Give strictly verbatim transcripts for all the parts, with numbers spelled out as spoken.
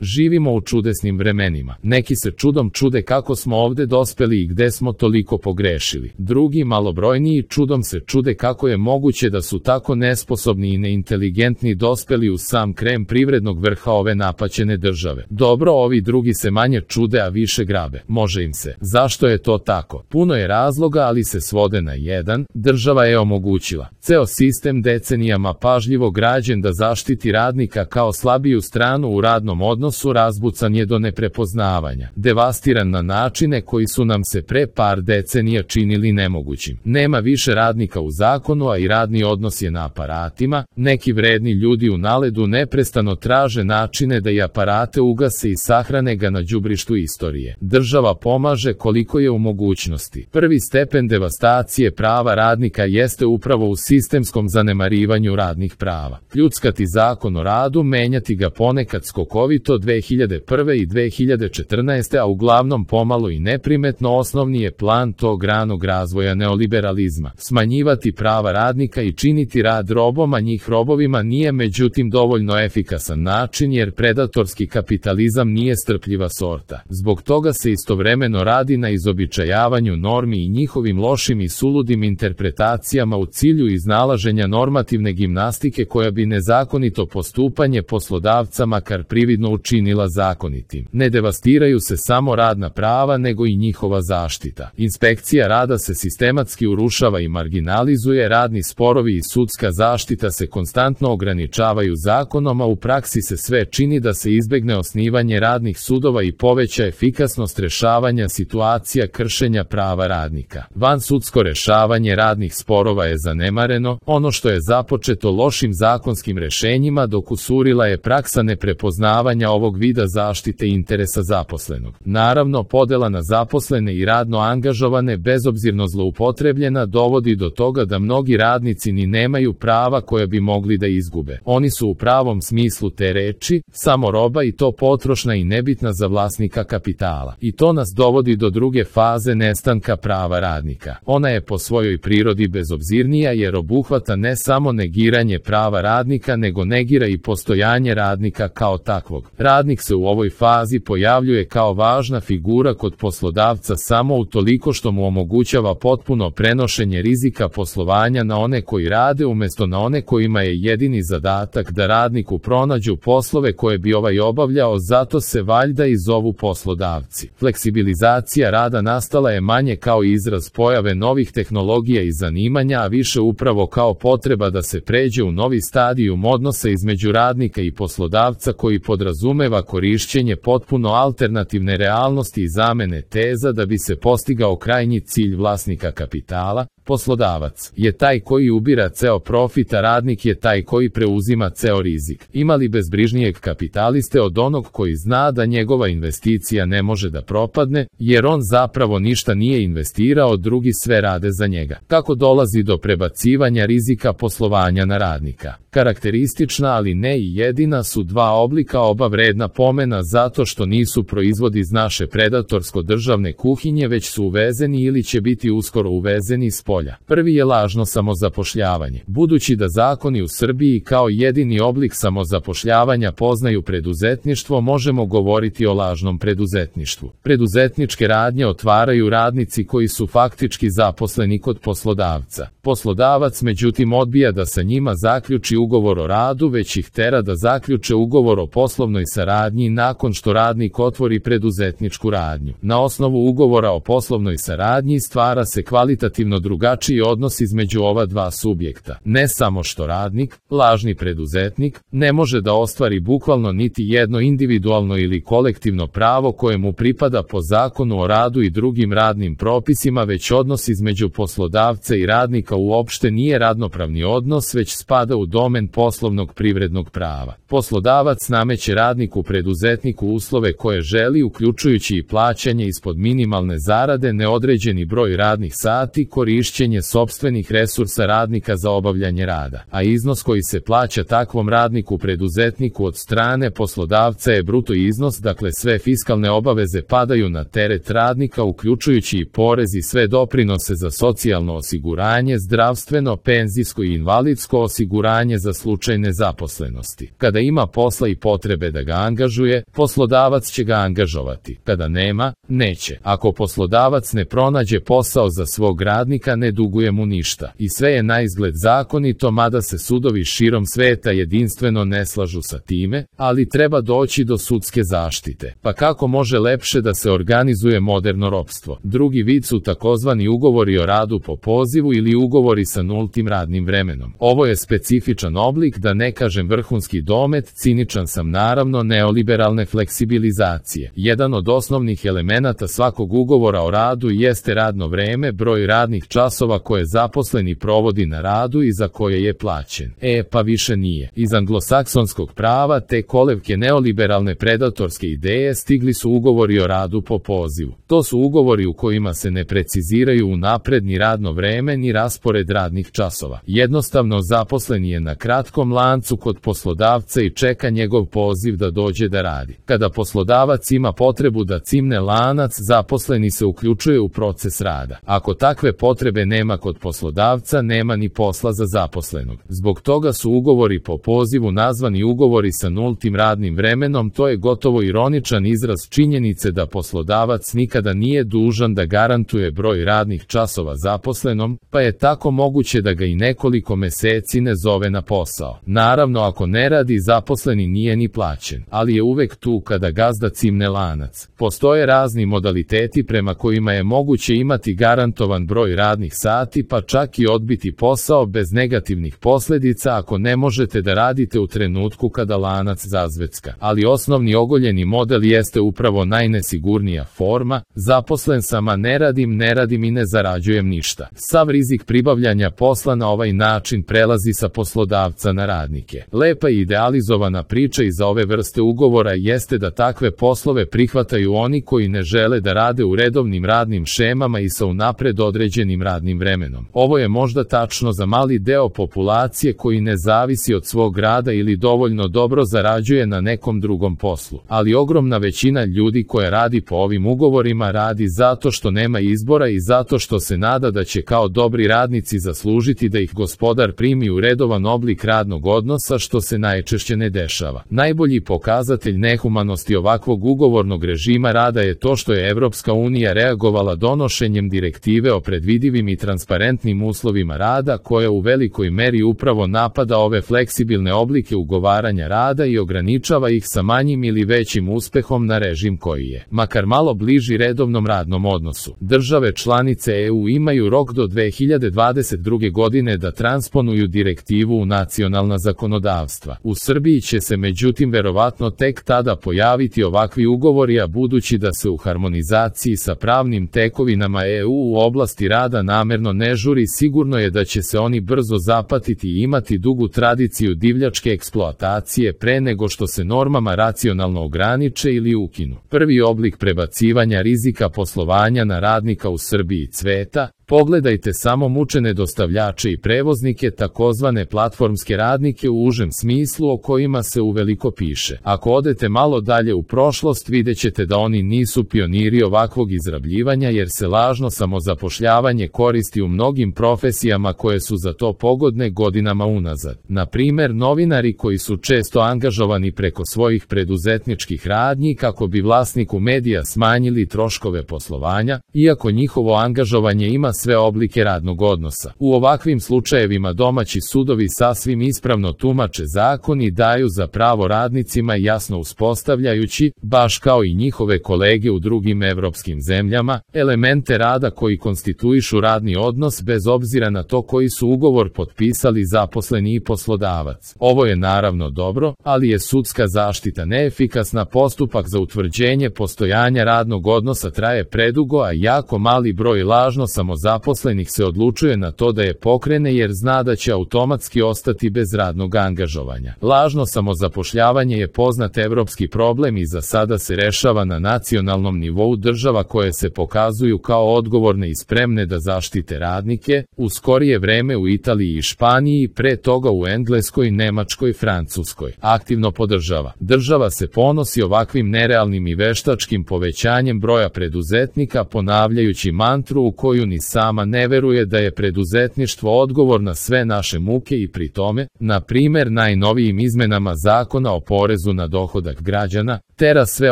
Živimo u čudesnim vremenima. Neki se čudom čude kako smo ovde dospeli i gde smo toliko pogrešili. Drugi, malobrojniji, čudom se čude kako je moguće da su tako nesposobni i neinteligentni dospeli u sam krem privrednog vrha ove napaćene države. Dobro, ovi drugi se manje čude, a više grabe. Može im se. Zašto je to tako? Puno je razloga, ali se svode na jedan. Država je omogućila ceo sistem decenijama pažljivo građen da zaštiti radnika kao slabiju stranu u radnom odnosu, razbucan je do neprepoznavanja, devastiran na načine koji su nam se pre par decenija činili nemogućim. Nema više radnika u zakonu, a i radni odnos je na aparatima. Neki vredni ljudi u naledu neprestano traže načine da i aparate ugase i sahrane ga na đubrištu istorije. Država pomaže koliko je u mogućnosti. Prvi stepen devastacije prava radnika jeste upravo u sistemskom zanemarivanju radnih prava. Pljuckati zakon o radu, menjati ga ponekad skokovito dve hiljade prve i dve hiljade četrnaeste. a uglavnom pomalo i neprimetno, osnovni je plan tog ranog razvoja neoliberalizma. Smanjivati prava radnika i činiti rad robom, a njih robovima nije međutim dovoljno efikasan način, jer predatorski kapitalizam nije strpljiva sorta. Zbog toga se istovremeno radi na izobičajavanju normi i njihovim lošim i suludim interpretacijama u cilju iznalaženja normativne gimnastike koja bi nezakonito postupanje poslodavca makar prividno učinila zakonitim. Ne devastiraju se samo radna prava, nego i njihova zaštita. Inspekcija rada se sistematski urušava i marginalizuje, radni sporovi i sudska zaštita se konstantno ograničavaju zakonom, a u praksi se sve čini da se izbegne osnivanje radnih sudova i poveća efikasnost rešavanja situacija kršenja prava radnika. Vansudsko rešavanje radnih sporova je zanemareno, ono što je započeto lošim zakonskim rešenjima dokusurila je praksa neprepoznavanja ovog vida zaštite interesa zaposlenog. Naravno, podela na zaposlene i radno angažovane bezobzirno zloupotrebljena dovodi do toga da mnogi radnici ni nemaju prava koja bi mogli da izgube. Oni su u pravom smislu te reči samo roba, i to potrošna i nebitna za vlasnika kapitala. I to nas dovodi do druge faze nestanka prava radnika. Ona je po svojoj prirodi bezobzirnija, jer obuhvata ne samo negiranje prava radnika, nego negira i postojanje radnika kao takvog. Radnik se u ovoj fazi pojavljuje kao važna figura kod poslodavca samo utoliko što mu omogućava potpuno prenošenje rizika poslovanja na one koji rade umjesto na one kojima je jedini zadatak da radniku pronađu poslove koje bi ovaj obavljao, zato se valjda i zovu poslodavci. Fleksibilizacija rada nastala je manje kao izraz pojave novih tehnologija i zanimanja, a više upravo kao potreba da se pređe u novi stadijum odnosa između radnika i poslodavca koji podrazumeva korišćenje potpuno alternativne realnosti i zamene teza da bi se postigao krajnji cilj vlasnika kapitala. Poslodavac je taj koji ubira ceo profit, a radnik je taj koji preuzima ceo rizik. Ima li bezbrižnijeg kapitaliste od onog koji zna da njegova investicija ne može da propadne, jer on zapravo ništa nije investirao, drugi sve rade za njega? Kako dolazi do prebacivanja rizika poslovanja na radnika? Karakteristična, ali ne i jedina, su dva oblika, oba vredna pomena zato što nisu proizvod iz naše predatorsko-državne kuhinje, već su uvezeni ili će biti uskoro uvezeni s polja. Prvi je lažno samozapošljavanje. Budući da zakoni u Srbiji kao jedini oblik samozapošljavanja poznaju preduzetništvo, možemo govoriti o lažnom preduzetništvu. Preduzetničke radnje otvaraju radnici koji su faktički zaposleni kod poslodavca. Poslodavac međutim odbija da sa njima zaključi ugovor o radu, već ih tera da zaključe ugovor o poslovnoj saradnji nakon što radnik otvori preduzetničku radnju. Na osnovu ugovora o poslovnoj saradnji stvara se kvalitativno drugačiji odnos između ova dva subjekta. Ne samo što radnik, lažni preduzetnik, ne može da ostvari bukvalno niti jedno individualno ili kolektivno pravo koje mu pripada po zakonu o radu i drugim radnim propisima, već odnos između poslodavca i radnika uopšte nije radnopravni odnos, već spada u domen poslovnog privrednog prava. Poslodavac nameće radniku preduzetniku uslove koje želi, uključujući i plaćanje ispod minimalne zarade, neodređeni broj radnih sati, korišćenje sopstvenih resursa radnika za obavljanje rada, a iznos koji se plaća takvom radniku preduzetniku od strane poslodavca je bruto iznos, dakle sve fiskalne obaveze padaju na teret radnika, uključujući i porez i sve doprinose za socijalno osiguranje, zdravstveno, penzijsko i invalidsko osiguranje za slučaj nezaposlenosti. Kada ima posla i potrebe da ga angažuje, poslodavac će ga angažovati. Kada nema, neće. Ako poslodavac ne pronađe posao za svog radnika, ne duguje mu ništa. I sve je naizgled zakonito, mada se sudovi širom sveta jedinstveno ne slažu sa time, ali treba doći do sudske zaštite. Pa kako može lepše da se organizuje moderno ropstvo? Drugi vid su takozvani ugovori o radu po pozivu ili ugovori sa nultim radnim vremenom. Ovo je specifičan oblik, da ne kažem vrhunski domet, ciničan sam naravno, neoliberalne fleksibilizacije. Jedan od osnovnih elemenata svakog ugovora o radu jeste radno vreme, broj radnih časova koje zaposleni provodi na radu i za koje je plaćen. E, pa više nije. Iz anglosaksonskog prava te kolevke neoliberalne predatorske ideje stigli su ugovori o radu po pozivu. To su ugovori u kojima se ne preciziraju unapred ni radno vreme ni raspored radnih časova. Jednostavno zaposleni je na kratkom lancu kod poslodavca i čeka njegov poziv da dođe da radi. Kada poslodavac ima potrebu da cimne lanac, zaposleni se uključuje u proces rada. Ako takve potrebe nema kod poslodavca, nema ni posla za zaposlenog. Zbog toga su ugovori po pozivu nazvani ugovori sa nultim radnim vremenom. To je gotovo ironičan izraz činjenice da poslodavac nikada nije dužan da garantuje broj radnih časova zaposlenom, pa je tako moguće da ga i nekoliko meseci ne zove na posao. Naravno, ako ne radi, zaposleni nije ni plaćen, ali je uvek tu kada gazda cimne lanac. Postoje razni modaliteti prema kojima je moguće imati garantovan broj radnih sati, pa čak i odbiti posao bez negativnih posledica ako ne možete da radite u trenutku kada lanac zazvecka. Ali osnovni ogoljeni model jeste upravo najnesigurnija forma: zaposlen sam, a ne radim, ne radim i ne zarađujem ništa. Sav rizik pribavljanja posla na ovaj način prelazi sa poslodavca na radnike. Lepa i idealizovana priča iza ove vrste ugovora jeste da takve poslove prihvataju oni koji ne žele da rade u redovnim radnim šemama i sa unapred određenim radnim vremenom. Ovo je možda tačno za mali deo populacije koji ne zavisi od svog rada ili dovoljno dobro zarađuje na nekom drugom poslu. Ali ogromna većina ljudi koja radi po ovim ugovorima radi zato što nema izbora i zato što se nada da će kao dobri radnici zaslužiti da ih gospodar primi u redovan oblik radnog odnosa, što se najčešće ne dešava. Najbolji pokazatelj nehumanosti ovakvog ugovornog režima rada je to što je Evropska unija reagovala donošenjem direktive o predvidivim i transparentnim uslovima rada, koja u velikoj meri upravo napada ove fleksibilne oblike ugovaranja rada i ograničava ih sa manjim ili većim uspehom na režim koji je makar malo bliži redovnom radnom odnosu. Države članice E U imaju rok do dve hiljade dvadeset druge godine da transponuju direktivu u nacionalna zakonodavstva. U Srbiji će se međutim verovatno tek tada pojaviti ovakvi ugovori, a budući da se u harmonizaciji sa pravnim tekovinama E U u oblasti rada namerno ne žuri, sigurno je da će se oni brzo zapatiti i imati dugu tradiciju divljačke eksploatacije pre nego što se normama racionalno ograniče ili ukinu. Prvi oblik prebacivanja rizika poslovanja na radnika u Srbiji cveta. Pogledajte samo mučene dostavljače i prevoznike, takozvane platformske radnike u užem smislu, o kojima se uveliko piše. Ako odete malo dalje u prošlost, vidjet ćete da oni nisu pioniri ovakvog izrabljivanja, jer se lažno samozapošljavanje koristi u mnogim profesijama koje su za to pogodne godinama unazad. Na primer, novinari koji su često angažovani preko svojih preduzetničkih radnji kako bi vlasniku medija smanjili troškove poslovanja, iako njihovo angažovanje ima sve oblike radnog odnosa. U ovakvim slučajevima domaći sudovi sasvim ispravno tumače zakon i daju za pravo radnicima, jasno uspostavljajući, baš kao i njihove kolege u drugim evropskim zemljama, elemente rada koji konstituišu radni odnos bez obzira na to koji su ugovor potpisali zaposleni i poslodavac. Ovo je naravno dobro, ali je sudska zaštita neefikasna, postupak za utvrđenje postojanja radnog odnosa traje predugo, a jako mali broj lažno samozaposlenih zaposlenih se odlučuje na to da je pokrene jer zna da će automatski ostati bez radnog angažovanja. Lažno samozapošljavanje je poznat evropski problem i za sada se rešava na nacionalnom nivou država koje se pokazuju kao odgovorne i spremne da zaštite radnike, u skorije vreme u Italiji i Španiji, pre toga u Engleskoj, Nemačkoj, Francuskoj. Aktivno podržava. Država se ponosi ovakvim nerealnim i veštačkim povećanjem broja preduzetnika, ponavljajući mantru u koju ni sam sama ne veruje da je preduzetništvo odgovor na sve naše muke i pri tome, na primer najnovijim izmenama zakona o porezu na dohodak građana, tera sve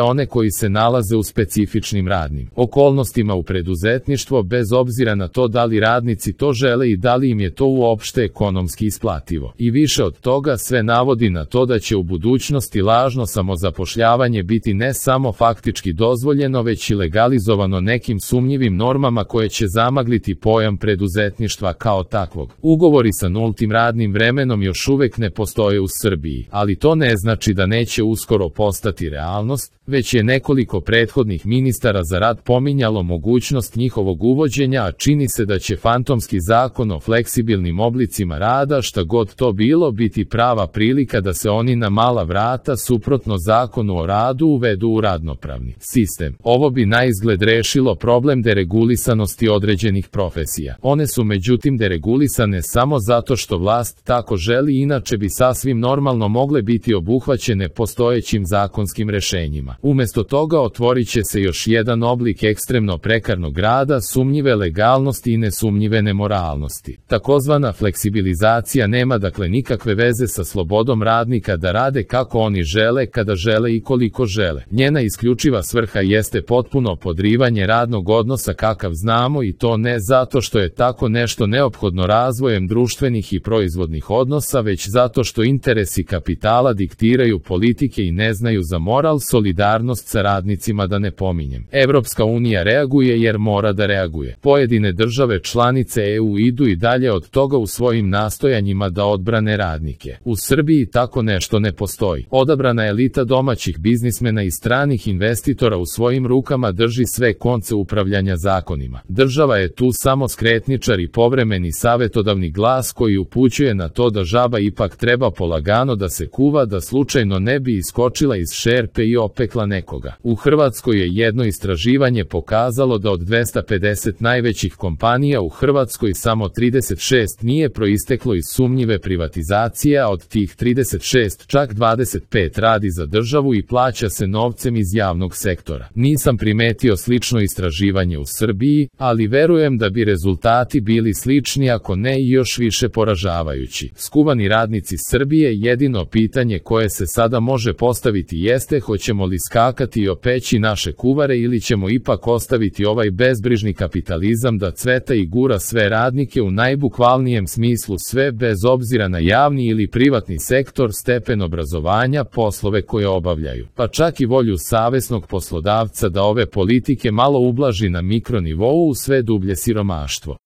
one koji se nalaze u specifičnim radnim okolnostima u preduzetništvo bez obzira na to da li radnici to žele i da li im je to uopšte ekonomski isplativo. I više od toga sve navodi na to da će u budućnosti lažno samozapošljavanje biti ne samo faktički dozvoljeno već i legalizovano nekim sumnjivim normama koje će zamagliti pojam preduzetništva kao takvog. Ugovori sa nultim radnim vremenom još uvek ne postoje u Srbiji, ali to ne znači da neće uskoro postati realnost, već je nekoliko prethodnih ministara za rad pominjalo mogućnost njihovog uvođenja, a čini se da će fantomski zakon o fleksibilnim oblicima rada, šta god to bilo, biti prava prilika da se oni na mala vrata suprotno zakonu o radu uvedu u radnopravni sistem. Ovo bi na izgled rešilo problem deregulisanosti određenih profesija. One su međutim deregulisane samo zato što vlast tako želi, inače bi sasvim normalno mogle biti obuhvaćene postojećim zakonskim rešenjima. Umesto toga otvorit će se još jedan oblik ekstremno prekarnog rada, sumnjive legalnosti i nesumnjive nemoralnosti. Takozvana fleksibilizacija nema dakle nikakve veze sa slobodom radnika da rade kako oni žele, kada žele i koliko žele. Njena isključiva svrha jeste potpuno podrivanje radnog odnosa kakav znamo, i to ne zato što je tako nešto neophodno razvojem društvenih i proizvodnih odnosa, već zato što interesi kapitala diktiraju politike i ne znaju za moral, solidarnost sa radnicima da ne pominjem. Evropska unija reaguje jer mora da reaguje. Pojedine države članice E U idu i dalje od toga u svojim nastojanjima da odbrane radnike. U Srbiji tako nešto ne postoji. Odabrana elita domaćih biznismena i stranih investitora u svojim rukama drži sve konce upravljanja zakonima. Država je tu samo skretničar i povremeni savetodavni glas koji upućuje na to da žaba ipak treba polagano da se kuva da slučajno ne bi iskočila iz šerpe i opekla nekoga. U Hrvatskoj je jedno istraživanje pokazalo da od dvesta pedeset najvećih kompanija u Hrvatskoj samo trideset šest nije proisteklo iz sumnjive privatizacije, a od tih trideset šest čak dvadeset pet radi za državu i plaća se novcem iz javnog sektora. Nisam primetio slično istraživanje u Srbiji, ali verujem da bi rezultati bili slični, ako ne i još više poražavajući. Skuvani radnici Srbije, jedino pitanje koje se sada može postaviti jeste hoćemo li skakati i opeći naše kuvare ili ćemo ipak ostaviti ovaj bezbrižni kapitalizam da cveta i gura sve radnike u najbukvalnijem smislu sve bez obzira na javni ili privatni sektor, stepen obrazovanja, poslove koje obavljaju, pa čak i volju savesnog poslodavca da ove politike malo ublaži na mikronivou u sve dublje siromaštvo.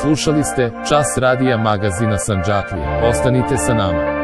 Slušali ste Čas radija magazina Sandžaklija. Ostanite sa nama.